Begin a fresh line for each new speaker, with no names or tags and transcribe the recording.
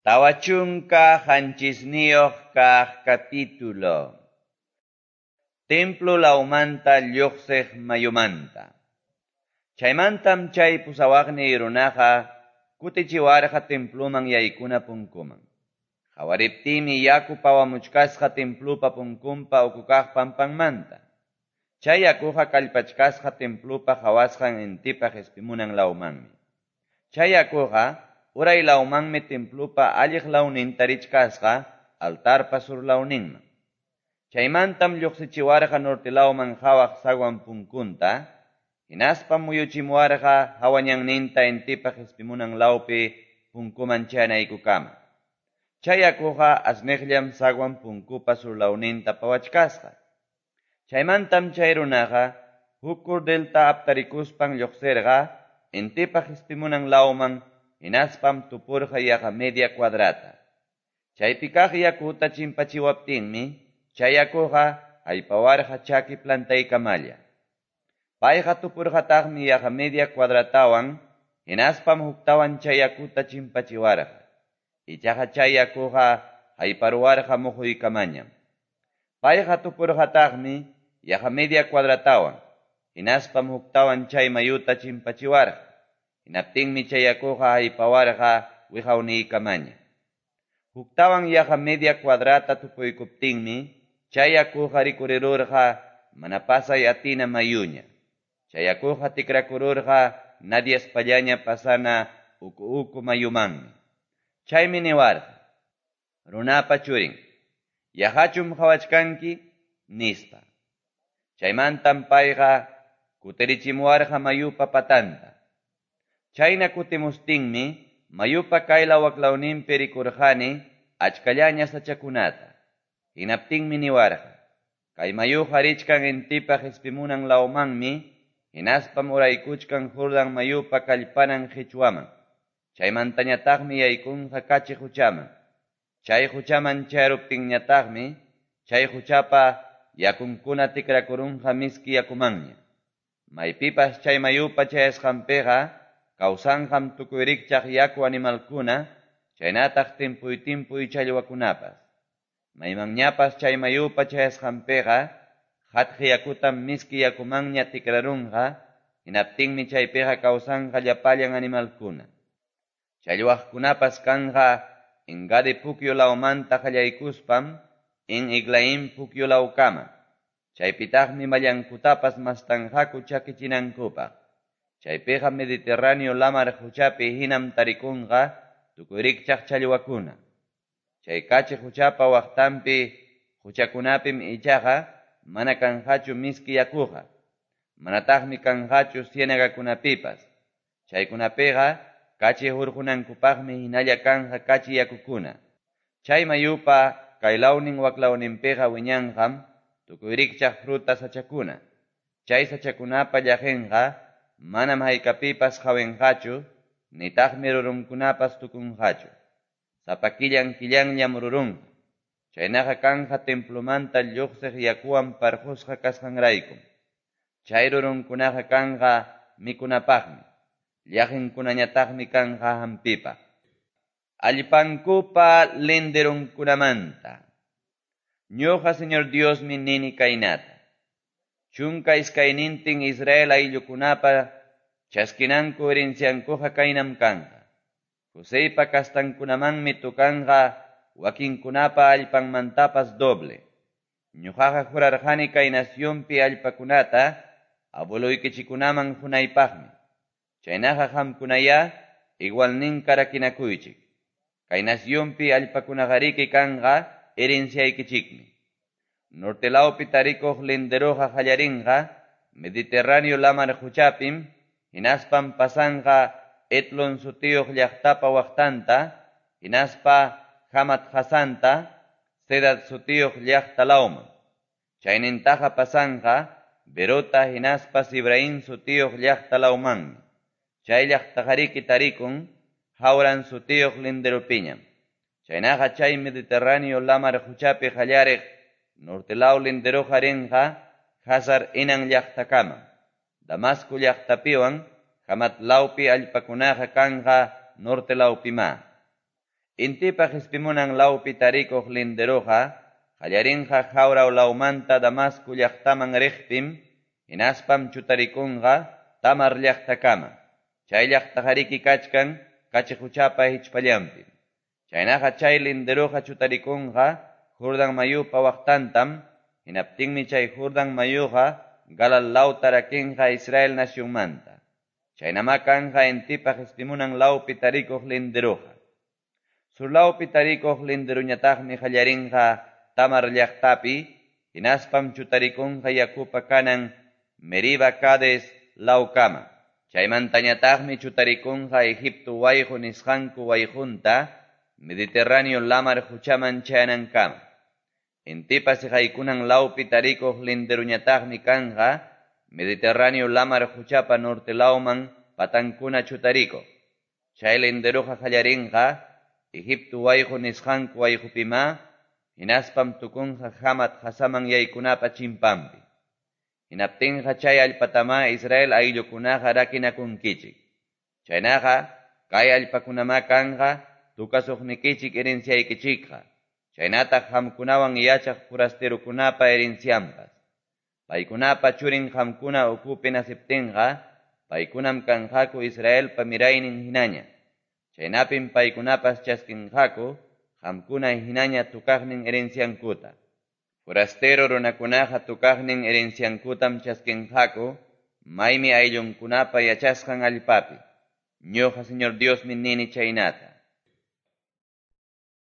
47 kaq capítulo. Templo lawmanta lluqsiq mayumanta. Chaymantam chay pusawaqniy runaqa kutichiwarqa temploman yaykuna punkuman. Qawariptiymi yaku pawamuchkasqa templopa punkunpa ukukaq pampanmanta. Chay yakuqa kallpachkasqa templopa qawasqan intipa qispimunan lawmanmi. Chay yakuqa uray lawmanmi templopa alliq lawninta richkasqa altarpa sur lawninman. Chaymantam lluqsichiwarqa norte lawman qawaq zaguan punkunta, hinaspam muyuchimuwarqa hawañanninta intipa qispimunan lawpi punkuman chayanaykukama. Chay yakuqa asniqllam zaguan punkupa sur lawninta pawachkasqa. Chaymantam chay runaqa huk cordelta aptarikuspan lluqsirqa intipa qispimunan lawman, hinaspam tupurqa yaqa media cuadrata. Chaypi kaq yakuta chimpachiwaptinmi, chay yakuqa haypawarqa chaki plantaykamalla. Payqa tupurqataqmi yaqa media cuadratawan, hinaspam huktawan chay yakuta chimpachiwarqa. Ichaqa chay yakuqa hayparuwarqa muhuykamañam. Payqa tupurqataqmi yaqa media cuadratawan, hinaspam huktawan chay mayuta chimpachiwarqa. Hinaptinmi chay yakuqa haypawarqa wiqawniykamaña. Huktawan yaqa media cuadrata tupuykuptinmi, chay yakuqa rikurirurqa mana pasay atina mayuña. Chay yakuqa tikrakururqa nadiaspallaña pasana uku uku mayumanmi. Chaymi niwarqa: "Runapa churin, yaqachum qawachkanki?" nispa. Chaymantam payqa kutirichimuwarqa mayupa patanta. Chayna kutimustinmi mayupa kaylaw waklawninpi rikurqani achkallaña sachakunata. Hinaptinmi niwarqa: "Kay mayuqa richkan intipa qispimunan lawmanmi, hinaspam uraykuchkan Jordán mayupa kallpanan qichwaman. Chaymantañataqmi yaykunqa kachi quchaman. Chay quchaman chayaruptinñataqmi chay quchapa yakunkuna tikrakurunqa miski yakumanña. Maypipas chay mayupa chayasqanpiqa kawsanqam tukuy rikchaq yaku animalkuna, chaynataq timpuy timpuy challwakunapas. Maymanñapas chay mayupa chayasqanpiqa qatqi yakutam miski yakumanña tikrarunqa, hinaptinmi chaypiqa kawsanqa llapallan animalkuna. Challwaqkunapas kanqa En-Gadi pukyu lawmanta qallaykuspam En-Eglaim pukyu lawkama. Chaypitaqmi mallankutapas mastanqaku chakichinankupaq. Chaypiqa Mediterráneo lamar quchapi hinam tarikunqa tukuy rikchaq challwakuna. Chay kachi quchapa waqtanpi quchakunapim ichaqa mana kanqachu miski yakuqa, manataqmi kanqachu ciénagakunapipas. Chaykunapiqa kachi hurqunankupaqmi hinalla kanqa kachi yakukuna. Chay mayupa kaylawnin waklawninpiqa wiñanqam tukuy rikchaq fruta sachakuna. Chay sachakunapa llaqinqa manam haykapipas qawinqachu, nitaqmi rurunkunapas tukunqachu. Sapa killan killanllam rurunqa. Chaynaqa kanqa templomanta lluqsiq yakuwan parqusqa kasqanraykum. Chay rurunkunaqa kanqa mikunapaqmi, llaqinkunañataqmi kanqa hampipaq. Allpankupa linderunkunamanta. Ñuqa Señor Diosmi nini kaynata: 12 Israel ayllukunapa chaskinanku herenciankuqa kaynam kanqa. Joseypa kastankunamanmi tukanqa wakinkunapa allpanmantapas doble. Ñuqaqa jurarqani kay nacionpi allpakunata abueloykichikunaman qunaypaqmi. Chaynaqa qamkunayá igualninka rakinakuychik. Kay nacionpi allpakunaqariki kanqa herenciaykichikmi. Norte lawpi tarikuq linderuqa qallarinqa Mediterráneo lamar quchapim, hinaspam pasanqa Etlon sutiyuq llaqtapa waqtanta, hinaspa Hamat Hasanta, Zedad sutiyuq llaqta lawman. Chaynintaqa pasanqa Berota hinaspa Sibraín sutiyuq llaqta lawmanmi. Chay llaqtaqariki tarikun Hauran sutiyuq linderupiñam. Chaynaqa chay Mediterráneo lamar quchapi qallariq norte law linderuqa rinqa Hazar Enan llaqtakama. Damasco llaqtapiwan Hamat lawpi allpakunaqa kanqa norte lawpima. Intipa qespimunan lawpi tarikuq linderoqa qallarinqa Haurau lawmanta Damasco llaqtaman riqpim, hinaspam chutarikunqa Tamar llaqtakama. Chay llaqtaqariki kachkan Kachi Qochapa hichpallanpim. Chaynaqa chay linderoqa chutarikunqa Jordan mayupa waqtantam, hinaptinmi chay Jordan mayuqa Galaad lawta rakinqa Israel nacionmanta. Chaynamá kanqa intipa qespimunan lawpi tarikuq linderoqa. Surlawpi tarikuq linderoñataqmi qallarinqa Tamar llaqtapi, hinaspam chutarikunqa yakupa kanan Meriba Cades lawkama. Chaymantañataqmi chutarikunqa Egipto wayqo nisqanku wayqonta Mediterráneo lamar qochaman chayanankama. Intipa seqaykunan lawpi tarikuq linderoñataqmi kanqa Mediterráneo lamar qochapa norte lawman patankuna chutarikuq. Chay linderoqa qallarinqa Egipto wayqo nisqanku wayqopimá, hinaspam tukunqa Hamat qasaman yaykunapa chimpanpi. Hinaptinqa chay allpatamá Israel ayllukunaqa rakinakunkichik. Chaynaqa kay allpakunamá kanqa tukasuqnikichik herenciaykichikqa. Chaynataq qamkunawan yachaq forasterokunapa herencianpas. Paykunapa churin qamkuna ukupi naciptinqa, paykunam kanqaku Israelpa miraynin hinaña. Chaynapim paykunapas chaskinqaku qamkuna hinaña tukaqnin herenciankuta. Forastero runakunaqa tukaqnin herenciankutam chaskinqaku maymi ayllunkunapa yachasqan allpapi. Ñuqa Señor Diosmi nini chaynata.